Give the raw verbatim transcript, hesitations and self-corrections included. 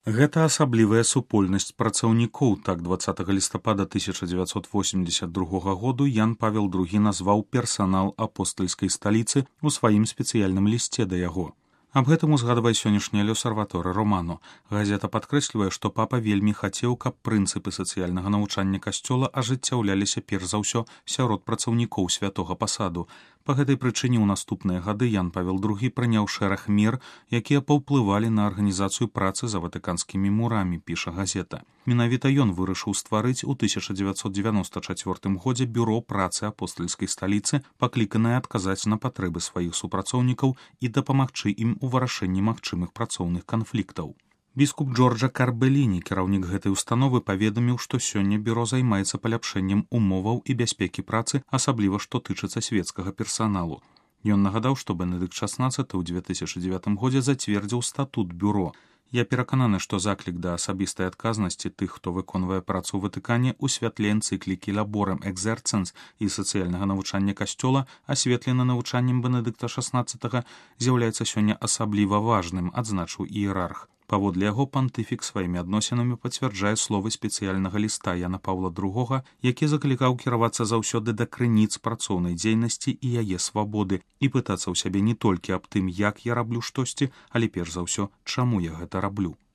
Гэта асаблівая супольнасць працаўнікоў, так дваццатага лістапада тысяча дзевяцьсот восемьдесят другога году Ян Павел другі назваў персанал апостальскай сталіцы ў сваім спецыяльным лісце да яго. Аб гэтым узгадвае сённяшняя Лёсарваторы Романо. Газета падкрэслівае, што папа вельмі хацеў, каб прынцыпы сацыяльнага навучання касцёла ажыццяўляліся перш за ўсё сярод працаўнікоў святога пасаду. Па гэтай прычыне ў наступныя гады Ян Павел другі прыняў шэраг мер, якія паўплывалі на арганізацыю працы за ватыканскімі мурамі, піша газета. Менавіта ён вырашыў стварыць у тысяча дзевяцьсот дзевяноста чацвёртым годзе бюро працы апостальскай сталіцы, пакліканае адказаць на патрэбы сваіх супрацоўнікаў і дапамагчы ім у вырашэнні магчымых працоўных канфліктаў. Біскуп Джорджа Карбеліні, кіраўнік гэтай установы, паведаміў, што сёння бюро займаецца паляпшэннем умоваў і бяспекі працы, асабліва што тычыцца свецкага персаналу. Ён нагадаў, што Бенедыкт шаснаццаты ў две тысячы дзевятым годзе зацвердзіў статут бюро. Я перакананы, што заклік да асабістай адказнасці тых, хто выконвае працу ў Ватыкане, у святле энцыклікі Лаборем Экзерцэнс і сацыяльнага навучання касцёла, асветлена навучаннем Бенедыкта шаснаццатага, з'яўляецца сёння асабліва важным, адзначыў іерарх. Паводле яго пантыфік сваімі адносінамі пацвярджае словы спецыяльнага ліста Яна Паўла другога, які заклікаў кіравацца заўсёды да крыніц працоўнай дзейнасці і яе свабоды і пытацца ў сябе не толькі аб тым, як я раблю штосьці, але перш за ўсё, чаму я гэта раблю.